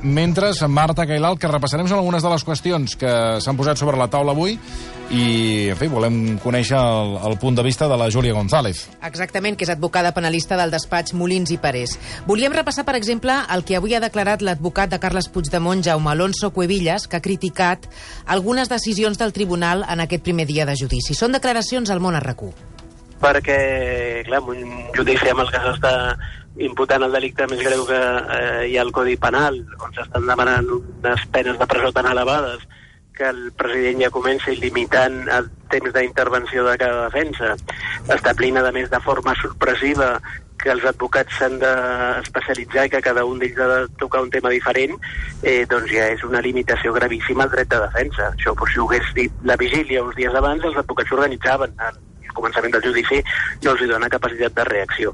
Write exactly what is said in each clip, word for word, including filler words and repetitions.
Mentre, Marta Cailal, que repassarem són algunes de les qüestions que s'han posat sobre la taula avui i, en fi, volem conèixer el, el punt de vista de la Júlia González. Exactament, que és advocada penalista del despatx Molins i Parés. Volíem repassar, per exemple, el que avui ha declarat l'advocat de Carles Puigdemont, Jaume Alonso Cuevillas, que ha criticat algunes decisions del tribunal en aquest primer dia de judici. Són declaracions al Món a RAC u. Perquè, clar, un judici amb els que s'està imputant el delicte més greu que eh, hi ha al Codi Penal, on s'estan demanant unes penes de presó tan elevades que el president ja comença limitant el temps d'intervenció de cada defensa, establint, a més, de forma sorpresiva que els advocats s'han d'especialitzar i que cada un d'ells ha de tocar un tema diferent, eh, doncs ja és una limitació gravíssima al dret de defensa. Això, doncs, si ho hagués dit la vigília uns dies abans, els advocats s'organitzaven. Al començament del judici no els dona capacitat de reacció.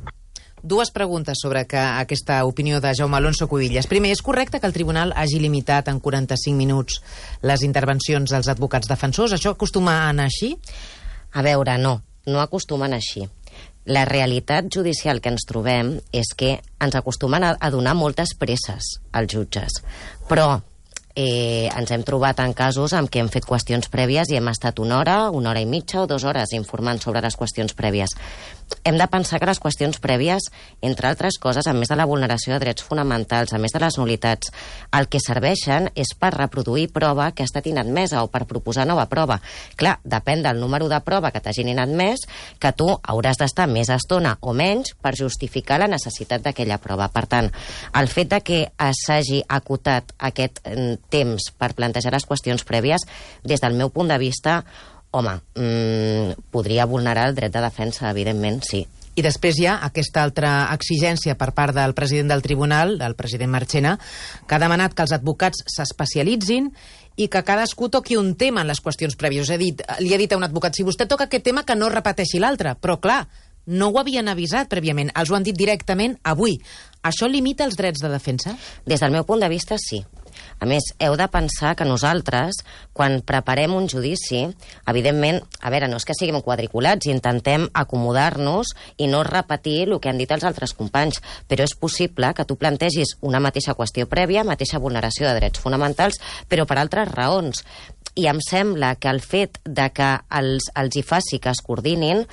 Dues preguntes sobre que aquesta opinió de Jaume Alonso Cuevillas. Primer, és correcte que el tribunal hagi limitat en quaranta-cinc minuts les intervencions dels advocats defensors? Això acostuma a anar així? A veure, no, no acostuma a anar així. La realitat judicial que ens trobem és que ens acostumen a, a donar moltes presses als jutges, però eh, ens hem trobat en casos en què hem fet qüestions prèvies i hem estat una hora, una hora i mitja o dues hores informant sobre les qüestions prèvies. Hem de pensar que les qüestions prèvies, entre altres coses, a més de la vulneració de drets fonamentals, a més de les nul·litats, el que serveixen és per reproduir prova que ha estat inadmesa o per proposar nova prova. Clar, depèn del número de prova que t'hagin inadmès, que tu hauràs d'estar més estona o menys per justificar la necessitat d'aquella prova. Per tant, el fet de que s'hagi acotat aquest temps per plantejar les qüestions prèvies, des del meu punt de vista, home, mmm, podria vulnerar el dret de defensa, evidentment, sí. I després hi ha aquesta altra exigència per part del president del tribunal, del president Marchena, que ha demanat que els advocats s'especialitzin i que cadascú toqui un tema en les qüestions prèvies. Ha dit, li ha dit a un advocat, si vostè toca aquest tema, que no repeteixi l'altre. Però, clar, no ho havien avisat prèviament, els ho han dit directament avui. Això limita els drets de defensa? Des del meu punt de vista, sí. A més, heu de pensar que nosaltres, quan preparem un judici, evidentment, a veure, no és que siguem quadriculats i intentem acomodar-nos i no repetir el que han dit els altres companys, però és possible que tu plantegis una mateixa qüestió prèvia, mateixa vulneració de drets fonamentals, però per altres raons. I em sembla que el fet de que els, els hi faci que es coordinin,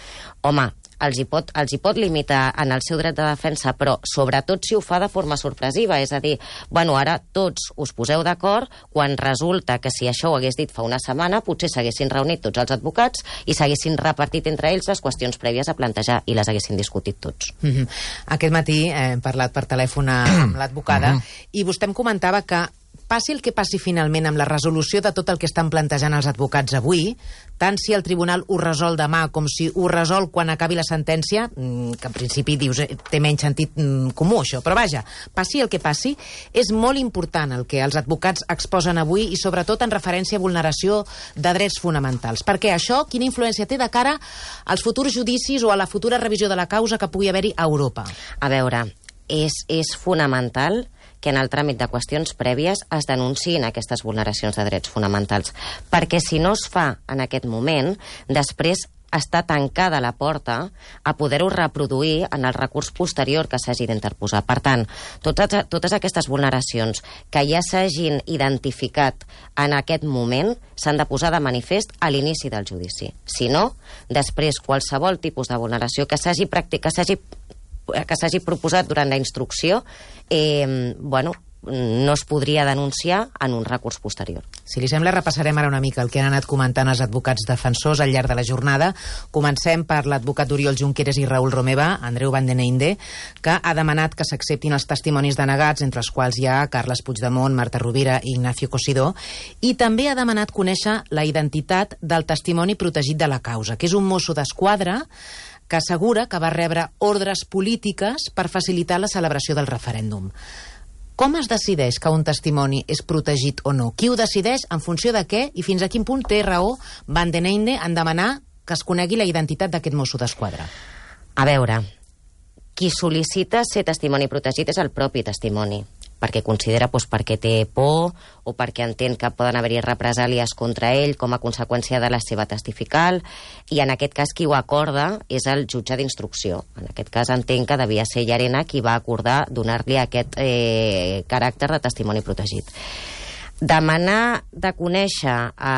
home, els hi, pot, els hi pot limitar en el seu dret de defensa, però sobretot si ho fa de forma sorpresiva, és a dir, bueno, ara tots us poseu d'acord quan resulta que si això ho hagués dit fa una setmana, potser s'haguessin reunit tots els advocats i s'haguessin repartit entre ells les qüestions prèvies a plantejar i les haguessin discutit tots. Mm-hmm. Aquest matí hem parlat per telèfon amb l'advocada mm-hmm. i vostè em comentava que passi el que passi finalment amb la resolució de tot el que estan plantejant els advocats avui, tant si el tribunal ho resol demà com si ho resol quan acabi la sentència, que en principi dius té menys sentit comú això, però vaja, passi el que passi, és molt important el que els advocats exposen avui i sobretot en referència a vulneració de drets fonamentals, perquè això quina influència té de cara als futurs judicis o a la futura revisió de la causa que pugui haver-hi a Europa? A veure, és, és fonamental que en el tràmit de qüestions prèvies es denunciïn aquestes vulneracions de drets fonamentals, perquè si no es fa en aquest moment, després està tancada la porta a poder-ho reproduir en el recurs posterior que s'hagi d'interposar. Per tant, totes, totes aquestes vulneracions que ja s'hagin identificat en aquest moment s'han de posar de manifest a l'inici del judici. Si no, després qualsevol tipus de vulneració que s'hagi practicat, s'hagi que s'hagi proposat durant la instrucció, eh, bueno, no es podria denunciar en un recurs posterior. Si li sembla, repassarem ara una mica el que han anat comentant els advocats defensors al llarg de la jornada. Comencem per l'advocat Oriol Junqueras i Raül Romeva, Andreu Van den Einde, que ha demanat que s'acceptin els testimonis denegats, entre els quals hi ha Carles Puigdemont, Marta Rovira i Ignacio Cosidó, i també ha demanat conèixer la identitat del testimoni protegit de la causa, que és un mosso d'esquadra que assegura que va rebre ordres polítiques per facilitar la celebració del referèndum. Com es decideix que un testimoni és protegit o no? Qui ho decideix, en funció de què, i fins a quin punt té raó Van den Einde en demanar que es conegui la identitat d'aquest mosso d'esquadra? A veure, qui sol·licita ser testimoni protegit és el propi testimoni. perquè considera doncs, perquè té por o perquè entén que poden haver-hi represàlies contra ell com a conseqüència de la seva testifical, i en aquest cas qui ho acorda és el jutge d'instrucció. En aquest cas entenc que devia ser Llarena qui va acordar donar-li aquest eh, caràcter de testimoni protegit. Demanar de conèixer a,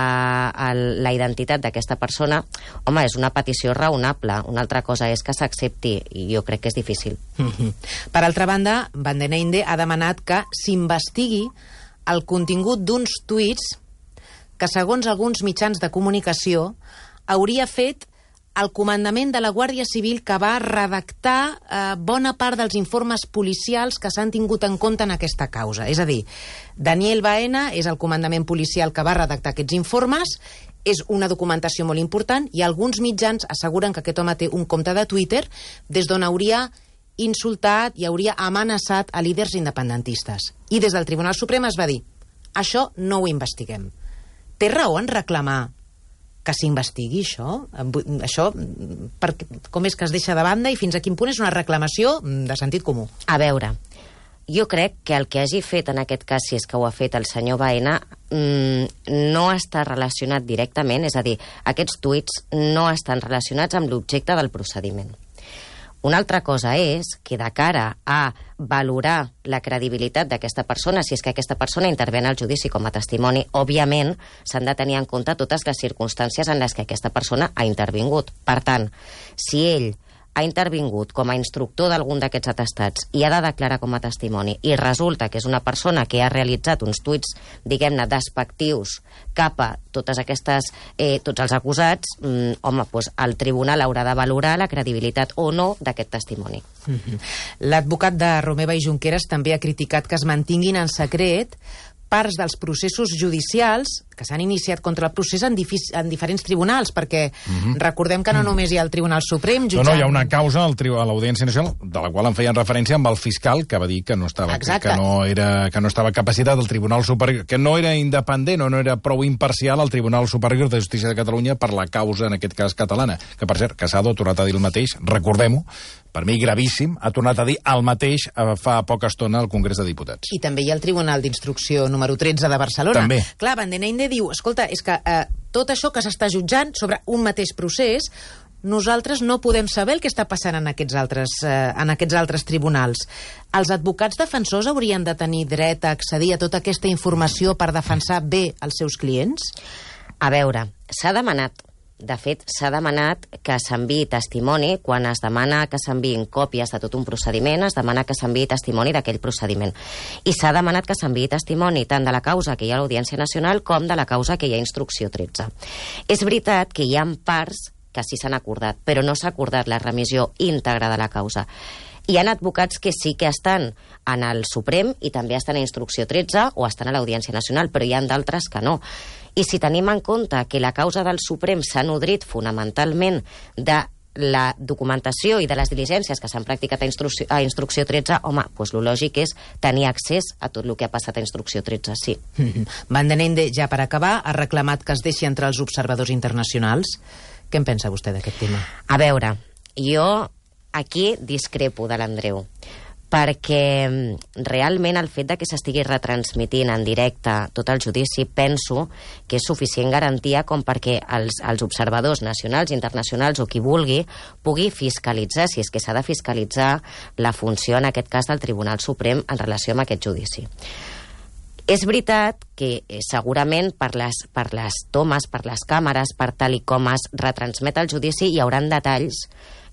a la identitat d'aquesta persona, home, és una petició raonable. Una altra cosa és que s'accepti, i jo crec que és difícil. Mm-hmm. Per altra banda, Van den Einde ha demanat que s'investigui el contingut d'uns tuits que, segons alguns mitjans de comunicació, hauria fet el comandament de la Guàrdia Civil que va redactar eh, bona part dels informes policials que s'han tingut en compte en aquesta causa. És a dir, Daniel Baena és el comandament policial que va redactar aquests informes, és una documentació molt important, i alguns mitjans asseguren que aquest home té un compte de Twitter des d'on hauria insultat i hauria amenaçat a líders independentistes. I des del Tribunal Suprem es va dir: això no ho investiguem. Té raó en reclamar que s'investigui això? Això, per, com és que es deixa de banda i fins a quin punt és una reclamació de sentit comú? A veure, jo crec que el que hagi fet en aquest cas, si és que ho ha fet el senyor Baena, mmm, no està relacionat directament, és a dir, aquests tuits no estan relacionats amb l'objecte del procediment. Una altra cosa és que de cara a valorar la credibilitat d'aquesta persona, si és que aquesta persona intervé al judici com a testimoni, òbviament s'han de tenir en compte totes les circumstàncies en les que aquesta persona ha intervingut. Per tant, si ell ha intervingut com a instructor d'algun d'aquests atestats i ha de declarar com a testimoni, i resulta que és una persona que ha realitzat uns tuits, diguem-ne, despectius cap a totes aquestes, eh, tots els acusats, mm, home, doncs el tribunal haurà de valorar la credibilitat o no d'aquest testimoni. Mm-hmm. L'advocat de Romeva i Junqueras també ha criticat que es mantinguin en secret parts dels processos judicials que s'han iniciat contra el procés en, en diferents tribunals, perquè mm-hmm. recordem que no només hi ha el Tribunal Suprem jutjant... No, no, hi ha una causa al tri... a l'Audiència Nacional, de la qual en feien referència amb el fiscal, que va dir que no estava, que, que no era, que no estava capacitat del Tribunal Superior, que no era independent o no era prou imparcial al Tribunal Superior de Justícia de Catalunya per la causa, en aquest cas, catalana. Que, per cert, Casado ha tornat a dir el mateix, recordem-ho, per mi gravíssim, ha tornat a dir el mateix fa poca estona al Congrés de Diputats. I també hi ha el Tribunal d'Instrucció número tretze de Barcelona. També. Clar, Van den Einde diu, escolta, és que eh, tot això que s'està jutjant sobre un mateix procés, nosaltres no podem saber el que està passant en aquests altres, eh, en aquests altres tribunals. Els advocats defensors haurien de tenir dret a accedir a tota aquesta informació per defensar bé els seus clients? A veure, s'ha demanat. De fet, s'ha demanat que s'enviï testimoni. Quan es demana que s'enviïn còpies de tot un procediment, es demana que s'enviï testimoni d'aquell procediment. I s'ha demanat que s'enviï testimoni tant de la causa que hi ha a l'Audiència Nacional com de la causa que hi ha a Instrucció tretze. És veritat que hi ha parts que sí s'han acordat, però no s'ha acordat la remissió íntegra de la causa. Hi ha advocats que sí que estan en el Suprem i també estan a Instrucció tretze o estan a l'Audiència Nacional, però hi ha d'altres que no. I si tenim en compte que la causa del Suprem s'ha nodrit fonamentalment de la documentació i de les diligències que s'han practicat a Instrucció, a Instrucció tretze, home, doncs el lògic és tenir accés a tot el que ha passat a Instrucció tretze, sí. Mm-hmm. Van den Einde, ja per acabar, ha reclamat que es deixi entrar els observadors internacionals. Què en pensa vostè d'aquest tema? A veure, jo aquí discrepo de l'Andreu, perquè realment el fet de que s'estigui retransmitint en directe tot el judici penso que és suficient garantia com perquè els, els observadors nacionals, internacionals o qui vulgui pugui fiscalitzar, si és que s'ha de fiscalitzar, la funció en aquest cas del Tribunal Suprem en relació amb aquest judici. És veritat que eh, segurament per les, per les tomes, per les càmeres, per tal i com es retransmet el judici, hi haurà detalls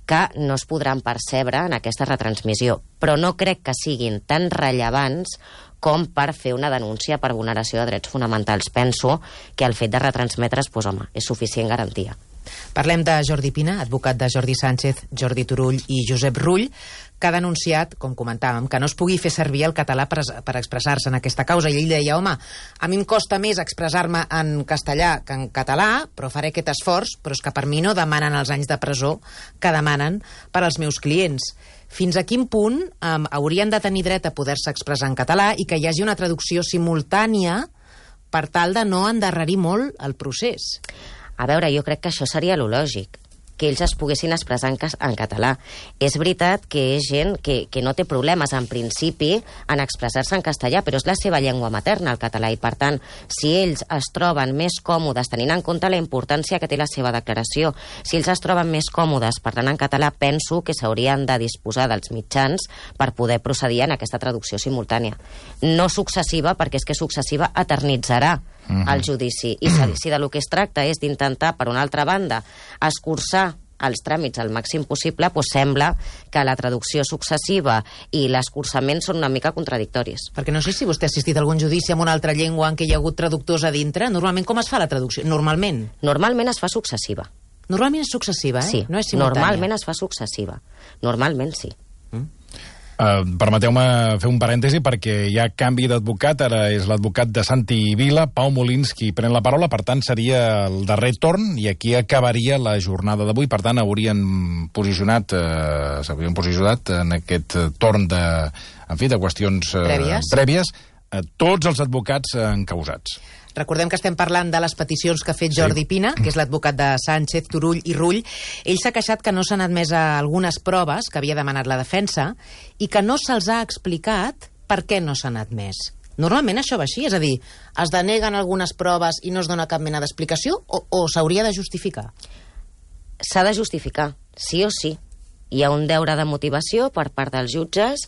que no es podran percebre en aquesta retransmissió, però no crec que siguin tan rellevants com per fer una denúncia per vulneració de drets fonamentals. Penso que el fet de retransmetre's, doncs, home, és suficient garantia. Parlem de Jordi Pina, advocat de Jordi Sánchez, Jordi Turull i Josep Rull, que ha denunciat, com comentàvem, que no es pugui fer servir el català per, per expressar-se en aquesta causa. I ell deia, home, a mi em costa més expressar-me en castellà que en català, però faré aquest esforç, però és que per mi no demanen els anys de presó que demanen per als meus clients. Fins a quin punt um, haurien de tenir dret a poder-se expressar en català i que hi hagi una traducció simultània per tal de no endarrerir molt el procés? A veure, jo crec que això seria lo lògic. que ells es poguessin expressar en, en català. És veritat que és gent que, que no té problemes, en principi, en expressar-se en castellà, però és la seva llengua materna, el català, i per tant, si ells es troben més còmodes, tenint en compte la importància que té la seva declaració, si ells es troben més còmodes parlant en català, penso que s'haurien de disposar dels mitjans per poder procedir en aquesta traducció simultània. No successiva, perquè és que successiva eternitzarà uh-huh. el judici. I si, si de lo que es tracta és d'intentar, per una altra banda, escurçar els tràmits al màxim possible, doncs sembla que la traducció successiva i l'escurçament són una mica contradictoris. Perquè no sé si vostè ha assistit a algun judici en una altra llengua en què hi ha hagut traductors a dintre. Normalment com es fa la traducció? Normalment? Normalment es fa successiva. Normalment és successiva, eh? Sí, no és simultània. Normalment es fa successiva. Normalment sí. Mm. Uh, Permeteu-me fer un parèntesi perquè hi ha canvi d'advocat. Ara és l'advocat de Santi Vila, Pau Molins, qui pren la paraula. Per tant, seria el darrer torn i aquí acabaria la jornada d'avui. Per tant, haurien posicionat uh, s'haurien posicionat en aquest torn de, en fi, de qüestions uh, prèvies, prèvies uh, tots els advocats uh, encausats. Recordem que estem parlant de les peticions que ha fet Jordi sí. Pina, que és l'advocat de Sánchez, Turull i Rull. Ell s'ha queixat que no s'han admès a algunes proves que havia demanat la defensa i que no se'ls ha explicat per què no s'han admès. Normalment això va així, és a dir, es deneguen algunes proves i no es dona cap mena d'explicació o, o s'hauria de justificar? S'ha de justificar, sí o sí. Hi ha un deure de motivació per part dels jutges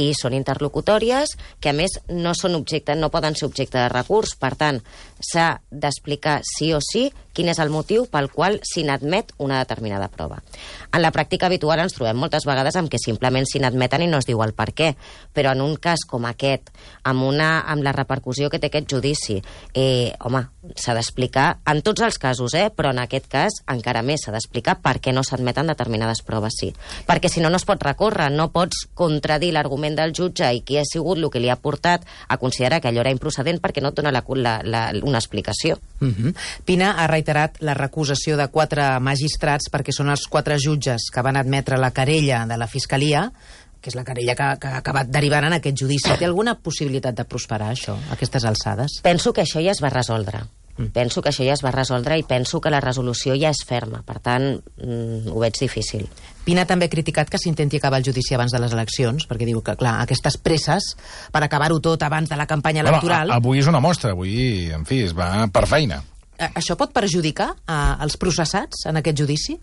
i són interlocutòries que, a més, no són objecte, no poden ser objecte de recurs. Per tant, s'ha d'explicar sí o sí quin és el motiu pel qual s'inadmet una determinada prova. En la pràctica habitual ens trobem moltes vegades amb que simplement s'inadmeten i no es diu el per què, però en un cas com aquest, amb, una, amb la repercussió que té aquest judici, eh, home, s'ha d'explicar, en tots els casos, eh, però en aquest cas encara més s'ha d'explicar per què no s'admeten determinades proves, sí. Perquè si no, no es pot recórrer, no pots contradir l'argument del jutge i qui ha sigut el que li ha portat a considerar que allò era improcedent perquè no et dona la, la, la, una explicació. Uh-huh. Pina ha reiterat la recusació de quatre magistrats perquè són els quatre jutges que van admetre la querella de la Fiscalia, que és la querella que, que ha acabat derivant en aquest judici. Té alguna possibilitat de prosperar, això, a aquestes alçades? Penso que això ja es va resoldre. Mm. Penso que això ja es va resoldre i penso que la resolució ja és ferma. Per tant, mm, ho veig difícil. Pina també ha criticat que s'intenti acabar el judici abans de les eleccions, perquè diu que, clar, aquestes presses per acabar-ho tot abans de la campanya electoral... Bueno, avui és una mostra, avui, en fi, es va per feina. Això pot perjudicar uh, els processats en aquest judici?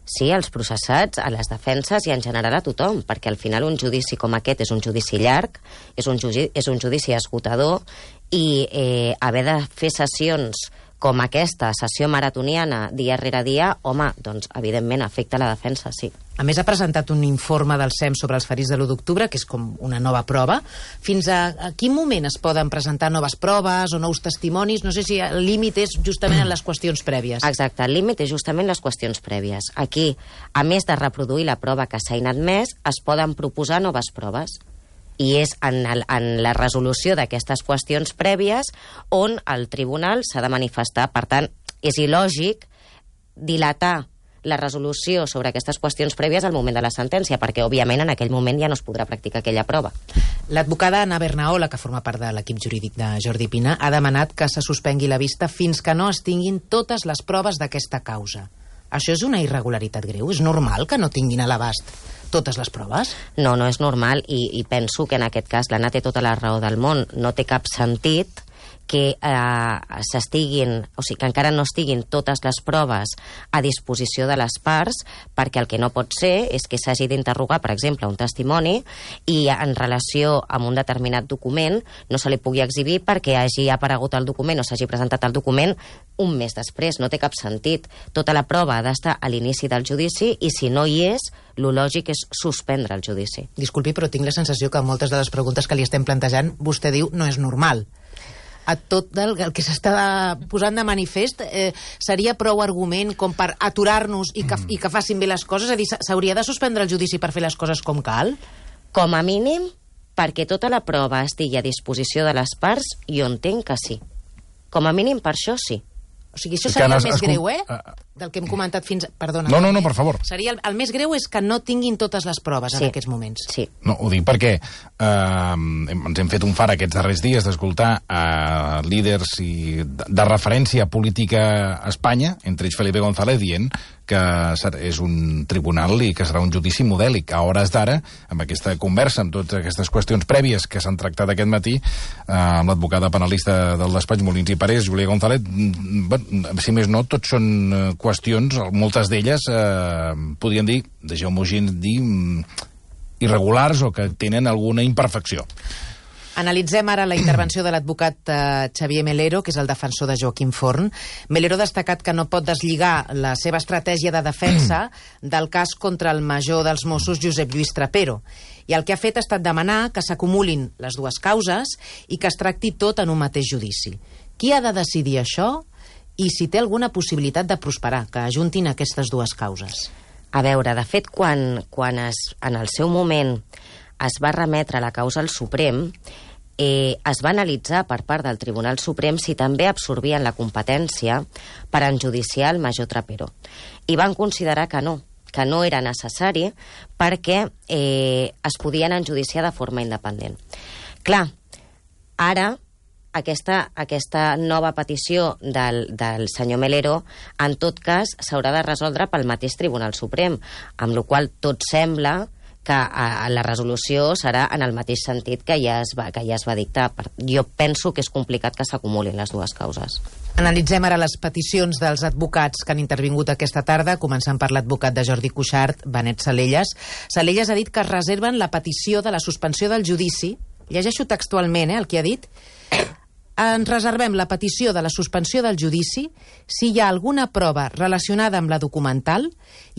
Sí, als processats, a les defenses i en general a tothom, perquè al final un judici com aquest és un judici llarg, és un judici, és un judici esgotador i eh, haver de fer sessions com aquesta, sessió maratoniana, dia rere dia, home, doncs, evidentment, afecta la defensa, sí. A més, ha presentat un informe del S E M sobre els ferits de l'u d'octubre, que és com una nova prova. Fins a, a quin moment es poden presentar noves proves o nous testimonis? No sé si el límit és justament en les qüestions prèvies. Exacte, el límit és justament les qüestions prèvies. Aquí, a més de reproduir la prova que s'ha inadmès, es poden proposar noves proves. I és en, el, en la resolució d'aquestes qüestions prèvies on el tribunal s'ha de manifestar. Per tant, és il·lògic dilatar la resolució sobre aquestes qüestions prèvies al moment de la sentència, perquè, òbviament, en aquell moment ja no es podrà practicar aquella prova. L'advocada Ana Bernaola, que forma part de l'equip jurídic de Jordi Pina, ha demanat que se suspengui la vista fins que no es tinguin totes les proves d'aquesta causa. Això és una irregularitat greu? És normal que no tinguin a l'abast totes les proves? No, no és normal i, i penso que en aquest cas l'Anna té tota la raó del món. No té cap sentit que eh, s'estiguin, o sigui, que encara no estiguin totes les proves a disposició de les parts, perquè el que no pot ser és que s'hagi d'interrogar, per exemple, un testimoni i en relació amb un determinat document no se li pugui exhibir perquè hagi aparegut el document o s'hagi presentat el document un mes després. No té cap sentit. Tota la prova ha d'estar a l'inici del judici i si no hi és, lo lògic és suspendre el judici. Disculpi, però tinc la sensació que moltes de les preguntes que li estem plantejant vostè diu no és normal. A tot el, el que s'està posant de manifest eh, seria prou argument com per aturar-nos i, que, i que facin bé les coses? És a dir, s'hauria de suspendre el judici per fer les coses com cal? Com a mínim, perquè tota la prova estigui a disposició de les parts, jo entenc que sí. Com a mínim per això sí. O sigui, això seria el més greu, eh? Del que hem comentat fins... Perdona. No, no, no, per favor. Seria el, el més greu és que no tinguin totes les proves sí. en aquests moments. Sí. No, ho dic perquè eh, ens hem fet un far aquests darrers dies d'escoltar a líders i de, de referència política a Espanya, entre ells Felipe González, dient que és un tribunal i que serà un judici modèlic. A hores d'ara, amb aquesta conversa, amb totes aquestes qüestions prèvies que s'han tractat aquest matí, eh, amb l'advocada penalista del despatx Molins i Parés, Júlia González, bueno, si més no, tot són qüestions, moltes d'elles eh, podríem dir, deixeu-m'ho dir, irregulars o que tenen alguna imperfecció. Analitzem ara la intervenció de l'advocat eh, Xavier Melero, que és el defensor de Joaquim Forn. Melero ha destacat que no pot deslligar la seva estratègia de defensa del cas contra el major dels Mossos, Josep Lluís Trapero. I el que ha fet ha estat demanar que s'acumulin les dues causes i que es tracti tot en un mateix judici. Qui ha de decidir això i si té alguna possibilitat de prosperar, que ajuntin aquestes dues causes? A veure, de fet, quan, quan es, en el seu moment es va remetre la causa al Suprem, eh, es va analitzar per part del Tribunal Suprem si també absorbien la competència per enjudiciar el major Trapero. I van considerar que no, que no era necessari perquè eh, es podien enjudiciar de forma independent. Clar, ara Aquesta, aquesta nova petició del, del senyor Melero, en tot cas, s'haurà de resoldre pel mateix Tribunal Suprem, amb la qual tot sembla que a, a la resolució serà en el mateix sentit que ja es va, que ja es va dictar. Jo penso que és complicat que s'acumulin les dues causes. Analitzem ara les peticions dels advocats que han intervingut aquesta tarda, començant per l'advocat de Jordi Cuixart, Benet Salellas. Salellas ha dit que es reserven la petició de la suspensió del judici. Llegeixo textualment eh, el que ha dit. Ens reservem la petició de la suspensió del judici si hi ha alguna prova relacionada amb la documental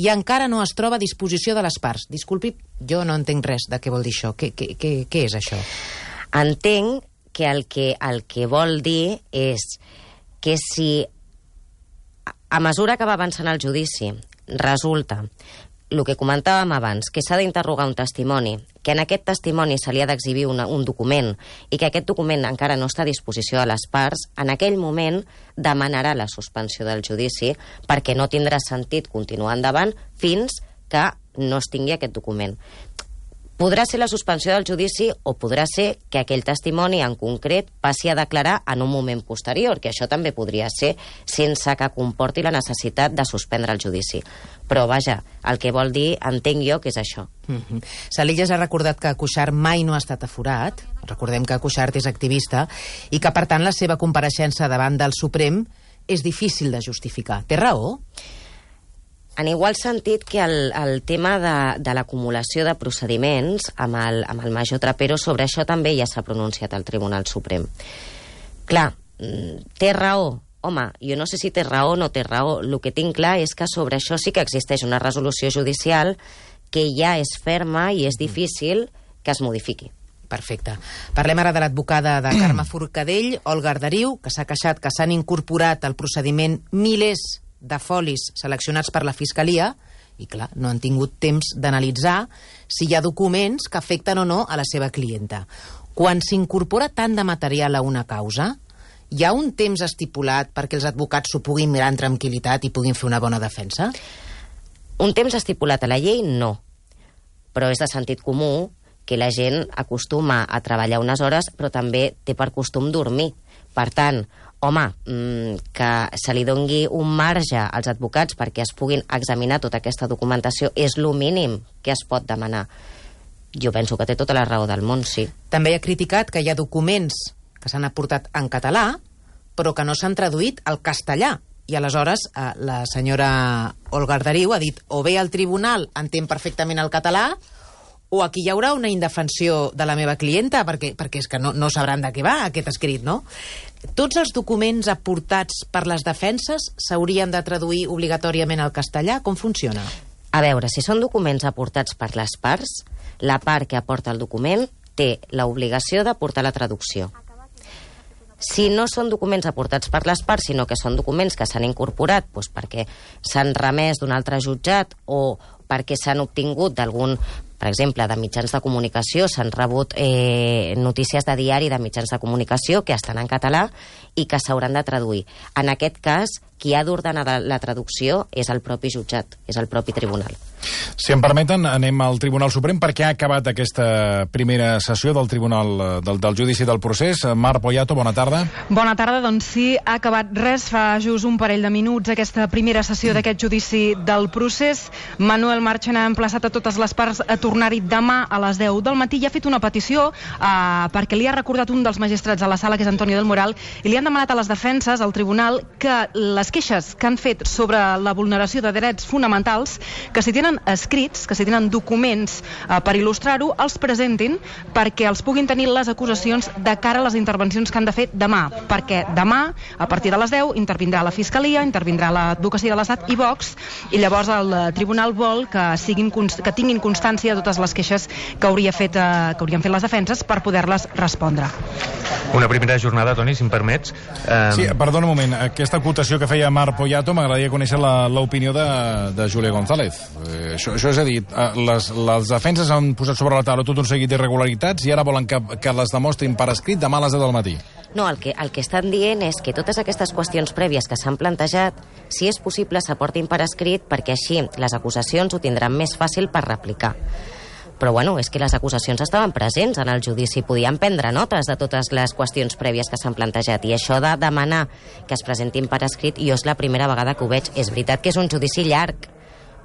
i encara no es troba a disposició de les parts. Disculpi, jo no entenc res de què vol dir això. Què, què, què, què és això? Entenc que el, que el que vol dir és que si a mesura que va avançant el judici resulta el que comentàvem abans, que s'ha d'interrogar un testimoni, que en aquest testimoni se li ha d'exhibir un document i que aquest document encara no està a disposició de les parts, en aquell moment demanarà la suspensió del judici perquè no tindrà sentit continuar endavant fins que no es tingui aquest document. Podrà ser la suspensió del judici o podrà ser que aquell testimoni en concret passi a declarar en un moment posterior, que això també podria ser sense que comporti la necessitat de suspendre el judici. Però, vaja, el que vol dir, entenc jo, que és això. Mm-hmm. Salellas ha recordat que Cuixart mai no ha estat aforat. Recordem que Cuixart és activista i que, per tant, la seva compareixença davant del Suprem és difícil de justificar. Té raó? En igual sentit que el, el tema de, de l'acumulació de procediments amb el, amb el major Trapero, sobre això també ja s'ha pronunciat el Tribunal Suprem. Clar, té raó. Home, jo no sé si té raó o no té raó. El que tinc clar és que sobre això sí que existeix una resolució judicial que ja és ferma i és difícil que es modifiqui. Perfecte. Parlem ara de l'advocada de Carme Forcadell, Olga Arderiu, que s'ha queixat que s'han incorporat al procediment milers de folis seleccionats per la Fiscalia i, clar, no han tingut temps d'analitzar si hi ha documents que afecten o no a la seva clienta. Quan s'incorpora tant de material a una causa, hi ha un temps estipulat perquè els advocats s'ho puguin mirar amb tranquil·litat i puguin fer una bona defensa? Un temps estipulat a la llei, no. Però és de sentit comú que la gent acostuma a treballar unes hores, però també té per costum dormir. Per tant, home, que se li dongui un marge als advocats perquè es puguin examinar tota aquesta documentació és el mínim que es pot demanar. Jo penso que té tota la raó del món, sí. També ha criticat que hi ha documents que s'han aportat en català, però que no s'han traduït al castellà. I aleshores eh, la senyora Olga Arderiu ha dit o bé el tribunal entén perfectament el català o aquí hi haurà una indefensió de la meva clienta, perquè, perquè és que no, no sabran de què va aquest escrit, no? Tots els documents aportats per les defenses s'haurien de traduir obligatòriament al castellà? Com funciona? A veure, si són documents aportats per les parts, la part que aporta el document té l'obligació d'aportar la traducció. Si no són documents aportats per les parts, sinó que són documents que s'han incorporat doncs perquè s'han remès d'un altre jutjat o perquè s'han obtingut d'algun, per exemple, de mitjans de comunicació, s'han rebut eh, notícies de diari de mitjans de comunicació que estan en català i que s'hauran de traduir. En aquest cas, qui ha d'ordenar la traducció és el propi jutjat, és el propi tribunal. Si em permeten, anem al Tribunal Suprem perquè ha acabat aquesta primera sessió del Tribunal del, del Judici del Procés. Mar Poyato, bona tarda. Bona tarda, doncs sí, ha acabat res, fa just un parell de minuts aquesta primera sessió d'aquest judici del procés. Manuel Marchena ha emplaçat a totes les parts a tornar-hi demà a les deu del matí i ha fet una petició eh, perquè li ha recordat un dels magistrats a la sala, que és Antonio del Moral, i li han demanat a les defenses, al tribunal, que les queixes que han fet sobre la vulneració de drets fonamentals, que si tenen escrits, que si tenen documents eh, per il·lustrar-ho, els presentin perquè els puguin tenir les acusacions de cara a les intervencions que han de fer demà, perquè demà, a partir de les deu, intervindrà la Fiscalia, intervindrà l'Advocacia de l'Estat i Vox, i llavors el tribunal vol que, siguin, que tinguin constància de totes les queixes que, hauria fet, eh, que haurien fet les defenses per poder-les respondre. Una primera jornada, Toni, si em permets. Um... Sí, perdona un moment. Aquesta acotació que feia Mar Poyato, m'agradaria conèixer l'opinió de, de Júlia González. Eh, això, això és a dir, les, les defenses han posat sobre la taula tot un seguit d'irregularitats i ara volen que, que les demostrin per escrit demà a les deu del matí. No, el que, el que estan dient és que totes aquestes qüestions prèvies que s'han plantejat, si és possible, s'aportin per escrit, perquè així les acusacions ho tindran més fàcil per replicar. Però bueno, és que les acusacions estaven presents en el judici, podien prendre notes de totes les qüestions prèvies que s'han plantejat, i això de demanar que es presentin per escrit, jo és la primera vegada que ho veig. És veritat que és un judici llarg,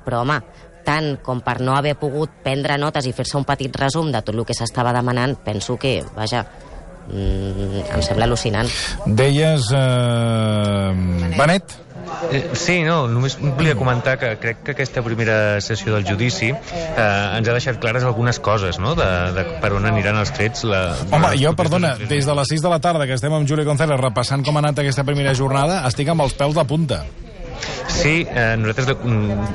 però home, tant com per no haver pogut prendre notes i fer-se un petit resum de tot el que s'estava demanant, penso que, vaja, mm, em sembla al·lucinant. Deies, eh, Benet? Eh, sí, no, només volia comentar que crec que aquesta primera sessió del judici eh, ens ha deixat clares algunes coses, no?, de, de per on aniran els trets. La, Home, jo, perdona, des de les sis de la tarda que estem amb Júlia González repassant com ha anat aquesta primera jornada, estic amb els pèls de punta. Sí, eh, nosaltres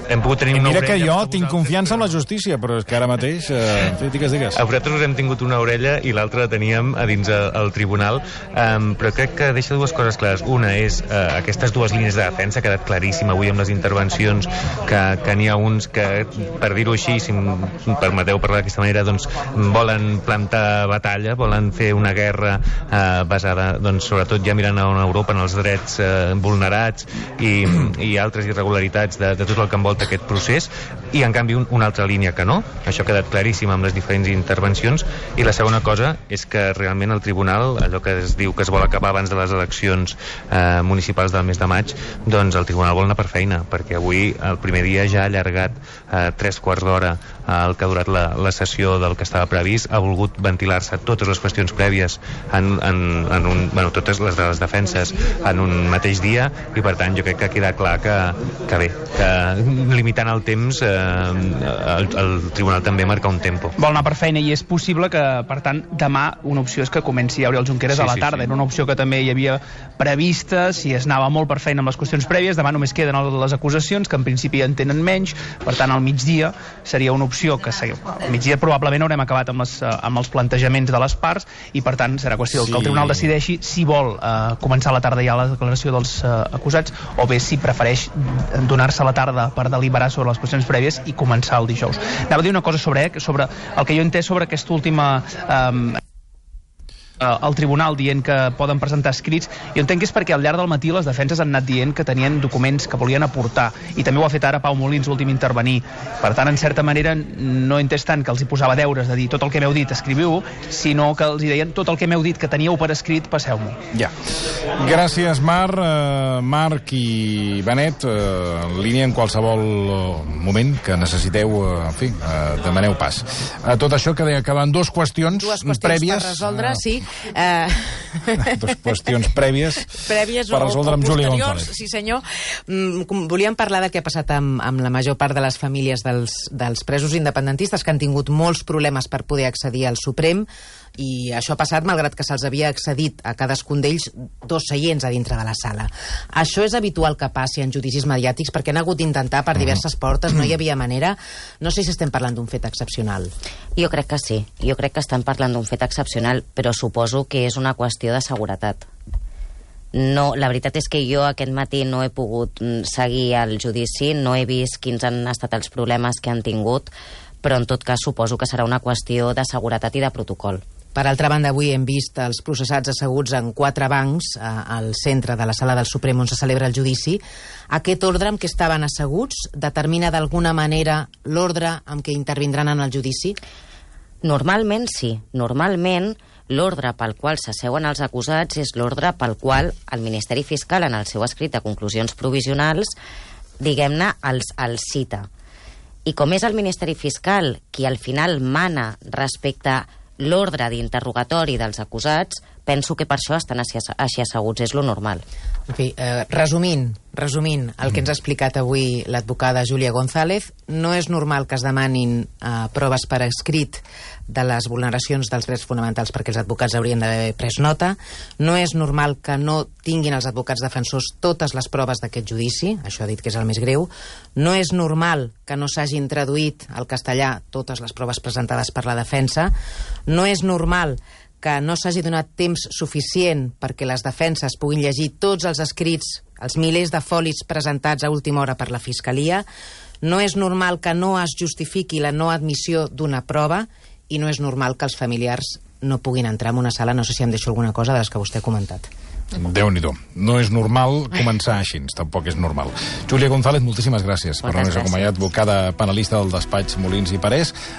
hem pogut tenir una orella... Mira que jo tinc confiança en la justícia, però és que ara mateix... Eh, digues, digues. A vosaltres hem tingut una orella i l'altra la teníem a dins el tribunal, um, però crec que deixa dues coses clares. Una és uh, aquestes dues línies de defensa, ha quedat claríssim avui amb les intervencions, que, que n'hi ha uns que, per dir-ho així, si em permeteu parlar d'aquesta manera, doncs volen plantar batalla, volen fer una guerra uh, basada, doncs, sobretot ja mirant a Europa en els drets uh, vulnerats i, i altres irregularitats de, de tot el que envolta aquest procés, i en canvi un, una altra línia que no. Això ha quedat claríssim amb les diferents intervencions. I la segona cosa és que realment el tribunal, allò que es diu que es vol acabar abans de les eleccions eh, municipals del mes de maig, doncs el tribunal vol anar per feina, perquè avui el primer dia ja ha allargat eh, tres quarts d'hora eh, el que ha durat la, la sessió del que estava previst, ha volgut ventilar-se totes les qüestions prèvies en, en, en un, bueno, totes les de les defenses en un mateix dia, i per tant jo crec que queda clar que, que bé, que limitant el temps eh, el, el tribunal també marca un tempo. Vol anar per feina i és possible que, per tant, demà una opció és que comenci Oriol Junqueras sí, a la tarda. Sí, sí. Era una opció que també hi havia prevista, si es anava molt per feina amb les qüestions prèvies. Demà només queden les acusacions, que en principi en tenen menys, per tant al migdia seria una opció que al migdia probablement haurem acabat amb, les, amb els plantejaments de les parts, i per tant serà qüestió sí. que el tribunal decideixi si vol eh, començar a la tarda ja la declaració dels eh, acusats, o bé si prefereix donar-se a la tarda per deliberar sobre les qüestions prèvies i començar el dijous. Anava a dir una cosa sobre, eh, sobre el que jo he entès sobre aquesta última... Eh, al tribunal dient que poden presentar escrits. Jo entenc que és perquè al llarg del matí les defenses han anat dient que tenien documents que volien aportar, i també ho ha fet ara Pau Molins, l'últim intervenir. Per tant, en certa manera, no he entès tant que els hi posava deures de dir tot el que m'heu dit, escriviu-ho, sinó que els hi deien tot el que m'heu dit que teníeu per escrit, passeu-m'ho. Ja. Gràcies, Mar. Uh, Marc i Benet, uh, en línia en qualsevol uh, moment que necessiteu, uh, en fi, uh, demaneu pas. Uh, tot això que deia que van dues qüestions, dues qüestions prèvies... per resoldre, uh, sí. Uh... Dos qüestions prèvies, prèvies per resoldre amb Júlia González. Sí, senyor. Mm, volíem parlar del que ha passat amb, amb la major part de les famílies dels, dels presos independentistes, que han tingut molts problemes per poder accedir al Suprem, i això ha passat malgrat que se'ls havia accedit a cadascun d'ells dos seients a dintre de la sala. Això és habitual que passi en judicis mediàtics, perquè han hagut d'intentar per diverses portes, no hi havia manera. No sé si estem parlant d'un fet excepcional. Jo crec que sí, jo crec que estem parlant d'un fet excepcional, però suposo que és una qüestió de seguretat. No, la veritat és que jo aquest matí no he pogut seguir el judici, no he vist quins han estat els problemes que han tingut, però en tot cas suposo que serà una qüestió de seguretat i de protocol. Per altra banda, avui hem vist els processats asseguts en quatre bancs eh, al centre de la sala del Suprem on se celebra el judici. Aquest ordre amb què estaven asseguts determina d'alguna manera l'ordre amb què intervindran en el judici? Normalment sí. Normalment l'ordre pel qual s'asseuen els acusats és l'ordre pel qual el Ministeri Fiscal, en el seu escrit de conclusions provisionals, diguem-ne, els, els cita. I com és el Ministeri Fiscal qui al final mana respecte a l'ordre d'interrogatori dels acusats, penso que per això estan així, així asseguts, és lo normal. En fi, eh, resumint, resumint el que ens ha explicat avui l'advocada Júlia González, no és normal que es demanin eh, proves per escrit de les vulneracions dels drets fonamentals perquè els advocats haurien d'haver pres nota, no és normal que no tinguin els advocats defensors totes les proves d'aquest judici, això ha dit que és el més greu, no és normal que no s'hagin traduït al castellà totes les proves presentades per la defensa, no és normal que no s'hagi donat temps suficient perquè les defenses puguin llegir tots els escrits, els milers de fòlits presentats a última hora per la Fiscalia, no és normal que no es justifiqui la no admissió d'una prova i no és normal que els familiars no puguin entrar en una sala, no sé si em deixo alguna cosa de les que vostè ha comentat. Déu-n'hi-do. No és normal començar així, tampoc és normal. Júlia González, moltíssimes gràcies per haver-nos acompanyat, advocada penalista del despatx Molins i Parés.